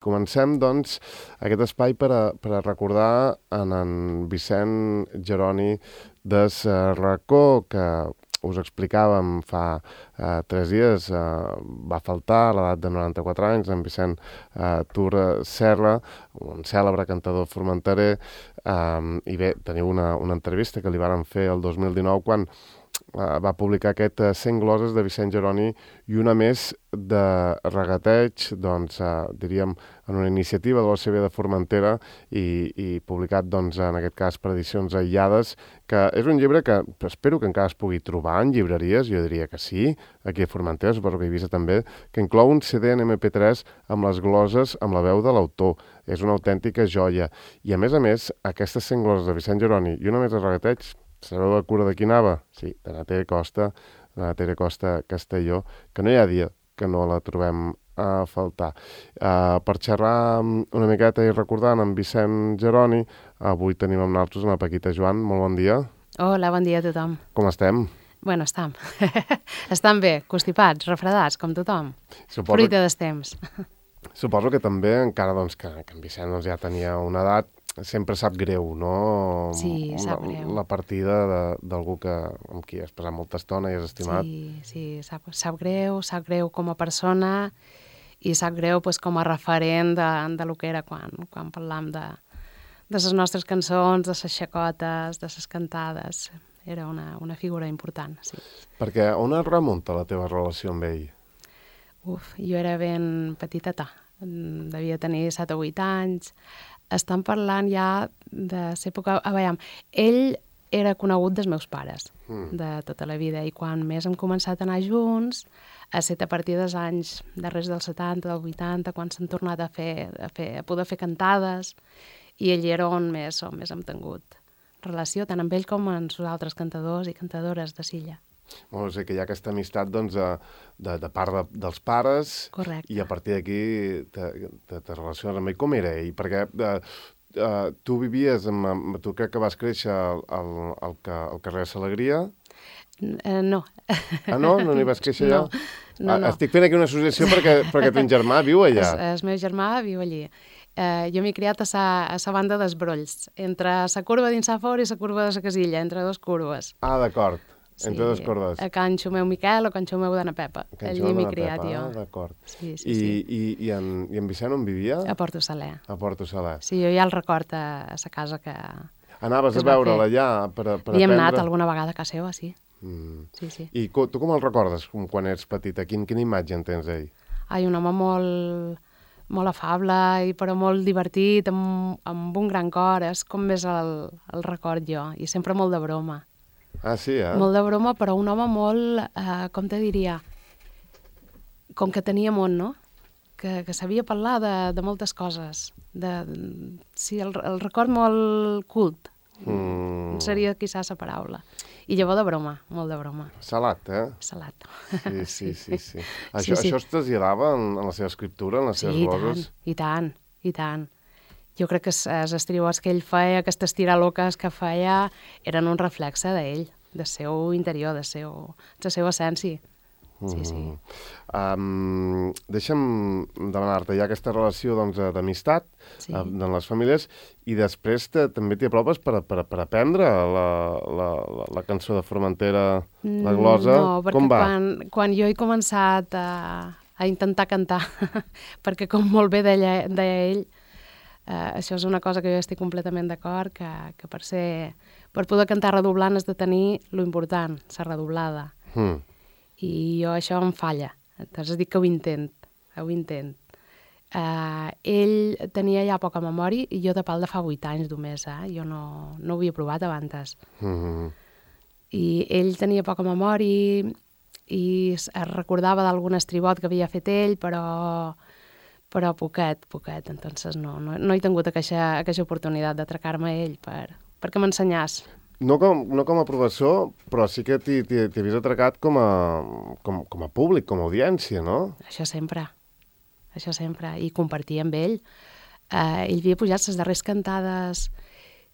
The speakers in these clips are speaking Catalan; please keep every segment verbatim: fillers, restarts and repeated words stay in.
Comencem, doncs, aquest espai per a, per a recordar en en Vicent Jeroni des uh, racó, que us explicàvem fa uh, tres dies, uh, va faltar a l'edat de noranta-quatre anys, en Vicent uh, Tura Serra, un cèlebre cantador formenterer, um, i bé, teniu una, una entrevista que li varen fer el dos mil dinou quan Uh, va publicar aquest uh, cent gloses de Vicent Jeroni i una més de regateig, doncs, uh, diríem, en una iniciativa de l'O C B de Formentera i, i publicat, doncs, en aquest cas, per edicions aïllades, que és un llibre que espero que encara es pugui trobar en llibreries, jo diria que sí, aquí a Formentera, suposo que a Eivissa també, que inclou un C D en M P tres amb les gloses amb la veu de l'autor. És una autèntica joia. I, a més a més, aquestes cent gloses de Vicent Jeroni i una més de regateig, sabeu la cura de qui anava? Sí, de la Tere Costa, de la Tere Costa Castelló, que no hi ha dia que no la trobem a faltar. Uh, per xerrar una miqueta i recordant en Vicent Jeroni, avui tenim amb nosaltres una Paquita Joan. Molt bon dia. Hola, bon dia a tothom. Com estem? Bueno, estam. Estam bé, constipats, refredats, com tothom. Suposo Fruita que... dels temps. Suposo que també, encara doncs, que, que en Vicent doncs, ja tenia una edat, sempre sap greu, no? Sí, sap greu. La, la partida d'algú que amb qui has passat molta estona i has estimat. Sí, sí, sap, sap greu, sap greu com a persona i sap greu pues, com a referent de, de lo que era quan, quan parlam de, de les nostres cançons, de les xacotes, de les cantades. Era una, una figura important, sí. Perquè on es remunta la teva relació amb ell? Uf, jo era ben petiteta, devia tenir set o vuit anys. Estan parlant ja de l'època... A veure, ell era conegut dels meus pares, mm. de tota la vida, i quan més hem començat a anar junts, ha estat a partir dels anys darrers dels setanta, del vuitanta, quan s'han tornat a, fer, a, fer, a poder fer cantades, i ell era on més, on més hem tingut relació, tant amb ell com amb els altres cantadors i cantadores de Silla. Bueno, o sigui que hi ha aquesta amistat doncs, de, de, de part de, dels pares. Correcte. I a partir d'aquí te, te, te relaciones amb ell. Com era ell? Perquè uh, uh, tu vivies, amb, amb, tu crec que vas créixer al, al, al, al carrer Salegria. Uh, no. Ah, no? No n'hi vas créixer allà? No, no, no. Estic fent aquí una associació perquè, perquè ton germà viu allà. El, el meu germà viu allí. Uh, jo m'he criat a la banda dels Brolls, entre la curva dins a fora i la curva de la Casilla, entre dos curves. Ah, d'acord. Sí, entre dos cordes. A Can Xumeu Miquel o Can Xumeu d'Anna Pepa. Allí m'he criat jo. Ah, d'acord. Sí, sí, I, sí. I, i, en, I en Vicent on vivia? A Porto Saler. A Porto Saler. Sí, jo ja el record a, a la casa que... Anaves que a veure'l allà per, per aprendre? I hem anat alguna vegada a casa seva, sí. Mm. Sí, sí. I co, tu com el recordes com quan eres petita? Quin, quina imatge en tens d'ell? Ai, un home molt, molt afable, i però molt divertit, amb, amb un gran cor. És com més el, el record jo. I sempre molt de broma. Ah, sí, eh? Molt de broma, però un home molt, eh, com te diria, com que tenia món, no? Que, que sabia parlar de, de moltes coses. De, sí, el, el record molt cult, mm. seria quizás la paraula. I llavors de broma, molt de broma. Salat, eh? Salat. Sí, sí, sí. sí. sí. Això, sí, sí. això es traslladava en, en la seva escriptura, en les sí, seves gloses? Sí, i tant, i tant. Jo crec que els estributs que ell feia, aquestes tiraloques que feia, eren un reflexe d'ell, del seu interior, de, seu, de la seva essència. Sí, sí. Mm. Um, deixa'm demanar-te, hi ha aquesta relació doncs, d'amistat sí. uh, en les famílies, i després te, també t'hi apropes per, per, per aprendre la, la, la, la cançó de Formentera, la glosa. No, perquè com va? Quan, quan jo he començat a, a intentar cantar, perquè com molt bé deia, deia ell, Uh, això és una cosa que jo estic completament d'acord, que, que per ser, per poder cantar redoblant has de tenir lo important, la redoblada. Mm. I jo això em falla. Entonces dic que ho intent, ho intent. Uh, ell tenia ja poca memòria i jo de pal de fa vuit anys només, eh? Jo no, no ho havia provat abans. Mm-hmm. I ell tenia poca memòria i es recordava d'algun estribot que havia fet ell, però... però poquet, poquet, entonces no, no, no he tingut aquesta, aquesta oportunitat d'atracar-me a ell per, perquè m'ensenyàs. No com, no com a professor, però sí que t'hi havies atracat com a, com, com a públic, com a audiència, no? Això sempre, això sempre, i compartir amb ell. Eh, ell havia pujat les darreres cantades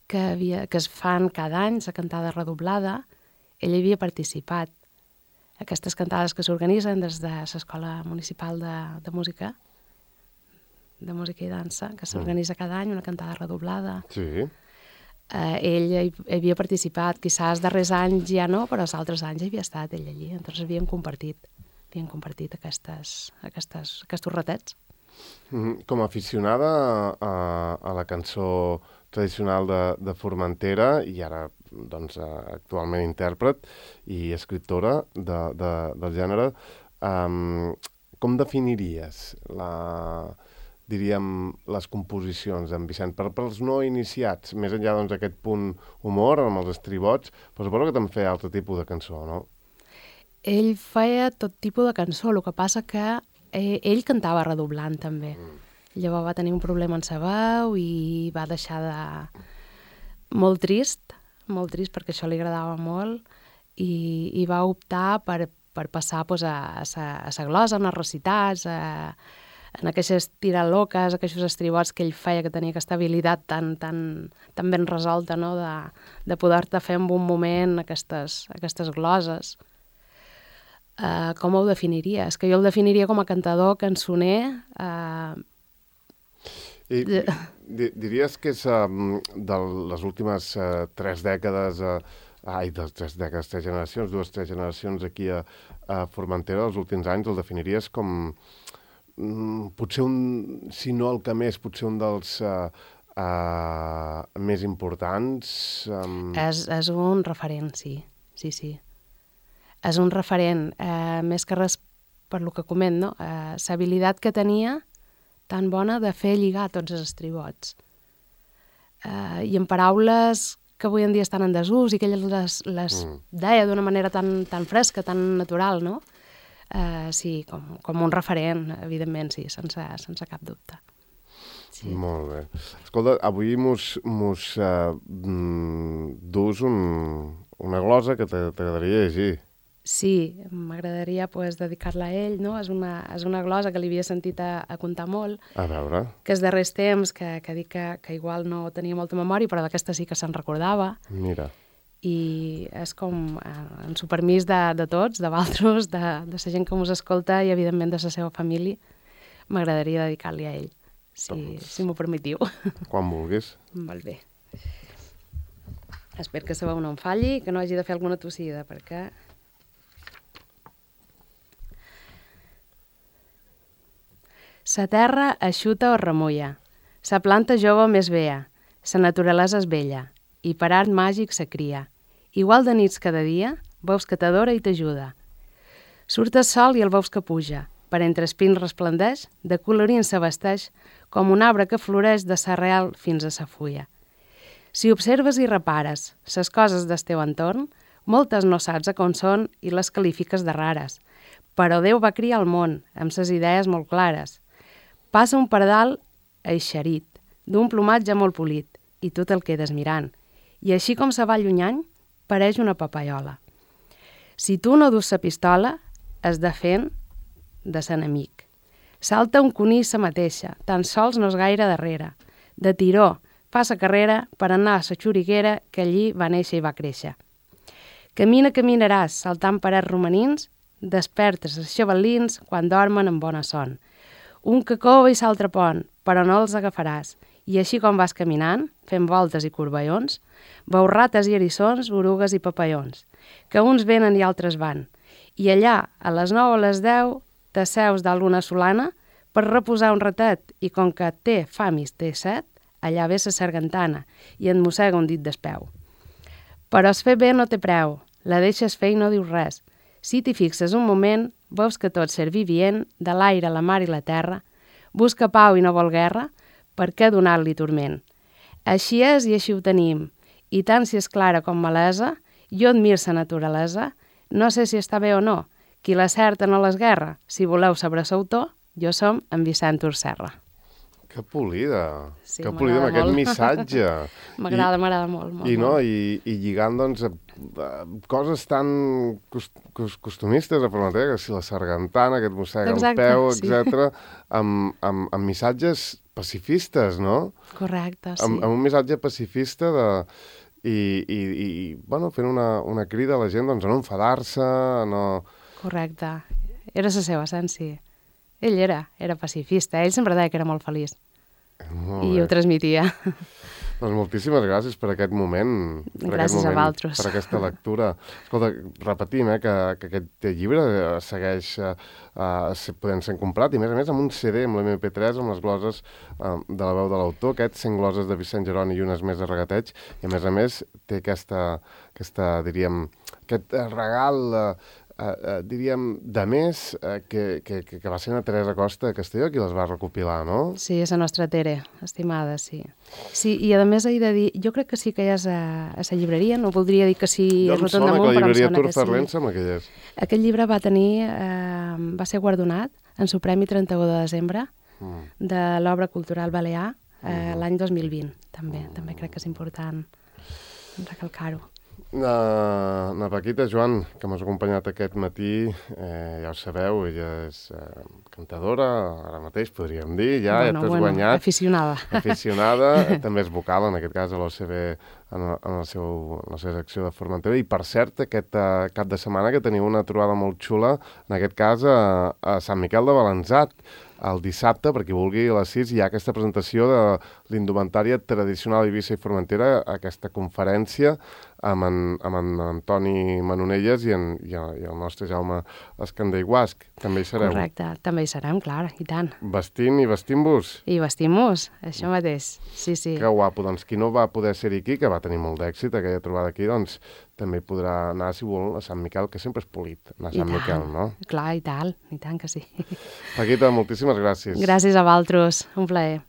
que, havia, que es fan cada any, la cantada redoblada, ell hi havia participat. Aquestes cantades que s'organitzen des de l'Escola Municipal de, de Música, de música i dansa, que s'organitza cada any, una cantada redoblada. Sí. Uh, ell hi, hi havia participat, quizás els darrers anys ja no, però els altres anys hi havia estat ell allí, entonces havíem compartit, havíem compartit aquestes, aquestes, aquests ratets. Mm, com a aficionada a, a la cançó tradicional de, de Formentera i ara doncs, actualment intèrpret i escriptora de, de, del gènere, um, com definiries la, diríem, les composicions d'en Vicent? Per, pels no iniciats, més enllà doncs, d'aquest punt humor amb els estribots, però suposo que també feia altre tipus de cançó, no? Ell feia tot tipus de cançó, el que passa que eh, ell cantava redoblant també. Mm. Llavors va tenir un problema en sa veu i va deixar de... molt trist, molt trist perquè això li agradava molt i, i va optar per, per passar pues, a, a, sa, a sa glosa, en els recitats, a, en aquestes tiraloques, aquests estribots que ell feia, que tenia aquesta habilitat tan, tan, tan ben resolta, no? de, de poder-te fer en un moment aquestes, aquestes gloses. Uh, com ho definiria? És que jo el definiria com a cantador, cançoner. Uh... I di diries que és um, de les últimes uh, tres dècades, uh, ai, de tres dècades, tres generacions, dues, tres generacions aquí a, a Formentera, els últims anys, el definiries com um, potser un, si no el que més, potser un dels uh, uh, més importants? Um... És, és un referent, sí, sí, sí. És un referent, eh, més que res per lo que coment, no? Eh, l'habilitat que tenia tan bona de fer lligar tots els estribots. Eh, I en paraules que avui en dia estan en desús i que ell les, les mm. deia d'una manera tan, tan fresca, tan natural, no? Eh, sí, com, com un referent, evidentment, sí, sense, sense cap dubte. Sí. Molt bé. Escolta, avui mos, mos uh, dus un, una glosa que t'agradaria llegir. Sí, m'agradaria pues, dedicar-la a ell, no? És una, és una glosa que li havia sentit a, a contar molt. A veure. Que els darrers temps, que, que dic que, que igual no tenia molta memòria, però d'aquesta sí que se'n recordava. Mira. I és com eh, en su permís de, de tots, de vosaltres, de, de la gent que mos escolta i, evidentment, de la seva família, m'agradaria dedicar-li a ell, si, doncs, si m'ho permetiu. Quan vulguis. Molt bé. Espero que la veu no em falli, que no hagi de fer alguna tossida, perquè... Sa terra eixuta o remulla, sa planta jove més vea, sa naturalesa és bella, i per art màgic sa cria. Igual de nits cada dia, veus que t'adora i t'ajuda. Surt el sol i el veus que puja, per entre espins resplendeix, de colorint se vesteix, com un arbre que floreix de sa real fins a sa fulla. Si observes i repares ses coses del teu entorn, moltes no saps a com són i les qualifiques de rares, però Déu va criar el món amb ses idees molt clares. Passa un pardal eixerit, d'un plomatge molt polit, i tu te'l quedes mirant. I així com se va allunyant, pareix una papaiola. Si tu no dus sa pistola, es defen de l'enemic. Salta un conill sa mateixa, tan sols no és gaire darrere. De tiró, fa sa carrera per anar a sa xuriguera que allí va néixer i va créixer. Camina, caminaràs, saltant parets romanins, despertes els xavalins quan dormen en bona son. Un que cova i s'altre pont, però no els agafaràs. I així com vas caminant, fent voltes i corballons, veus rates i erissons, orugues i papallons, que uns venen i altres van. I allà, a les nou o les deu, t'asseus dalt una solana per reposar un ratet i com que té fam i té set, allà ve sa sargantana i et mossega un dit d'espeu. Però es fer bé no té preu, la deixes fer i no dius res. Si t'hi fixes un moment, veus que tot ser vivient, de l'aire, la mar i la terra, busca pau i no vol guerra, per què donar-li turment? Així és i així ho tenim, i tant si és clara com malesa, jo admir sa naturalesa, no sé si està bé o no, qui la certa no l'esguerra, si voleu saber l'autor, jo som en Vicent Urserra. Que polida, sí, que polida amb aquest missatge. M'agrada, m'agrada molt, molt. I, no, molt. i, i lligant, doncs, a, a coses tan cost, cost, costumistes a Formentera, que si la sargantana, que et mossega el peu, sí. etcètera, amb, amb, amb missatges pacifistes, no? Correcte, sí. Amb, amb un missatge pacifista de... I, i, i bueno, fent una, una crida a la gent, doncs, a no enfadar-se, a no... Correcte. Era la seva essència. ell era, era pacifista, ell sempre deia que era molt feliç. Molt I bé. ho transmetia. Doncs moltíssimes gràcies per aquest moment. Per Gràcies aquest a moment, vosaltres. per aquesta lectura. Escolta, repetim eh, que, que aquest llibre eh, segueix eh, uh, podent ser comprat, i a més a més amb un C D, amb l'M P tres, amb les gloses uh, de la veu de l'autor, aquests cent gloses de Vicent Jeroni i unes més de regateig, i a més a més té aquesta, aquesta diríem, aquest regal... Uh, Uh, uh, diríem, de més, uh, que, que, que va ser una Teresa Costa de Castelló qui les va recopilar, no? Sí, és la nostra Tere, estimada, sí. Sí, i a més he de dir, jo crec que sí que hi és a, a la llibreria, no voldria dir que sí jo em rotund sona damunt, que la però em llibreria sona que Turferlent sí. sembla que hi és. Aquest llibre va tenir, eh, va ser guardonat en su Premi trenta-u de desembre Mm. de l'Obra Cultural Balear eh, Mhm. l'any dos mil vint, també. També crec que és important recalcar-ho. Na, na Paquita, Joan, que m'has acompanyat aquest matí, eh, ja ho sabeu, ella és eh, cantadora, ara mateix podríem dir, ja, bueno, ja t'has bueno, guanyat. aficionada. Aficionada, també és vocal, en aquest cas, a l'O C B, en, en, el seu, en la seva secció de Formentera. I, per cert, aquest uh, cap de setmana que teniu una trobada molt xula, en aquest cas, a, a Sant Miquel de Balanzat, el dissabte, per qui vulgui, a les sis, hi ha aquesta presentació de l'indumentària tradicional Eivissa i Formentera, aquesta conferència amb en, amb en Antoni Manonelles i, en, i, el, i el nostre Jaume Escandell Guasc. També hi sereu. Correcte, també hi serem, clar, i tant. Vestint i vestint-vos. I vestim-nos, això mateix, sí, sí. Que guapo. Doncs qui no va poder ser aquí, que va tenir molt d'èxit aquella trobada aquí, doncs també hi podrà anar, si vol, a Sant Miquel, que sempre és polit, anar a Sant Miquel, no? Clar, i tal, i tant que sí. Paquita, moltíssimes gràcies. Gràcies a vosaltres, un plaer.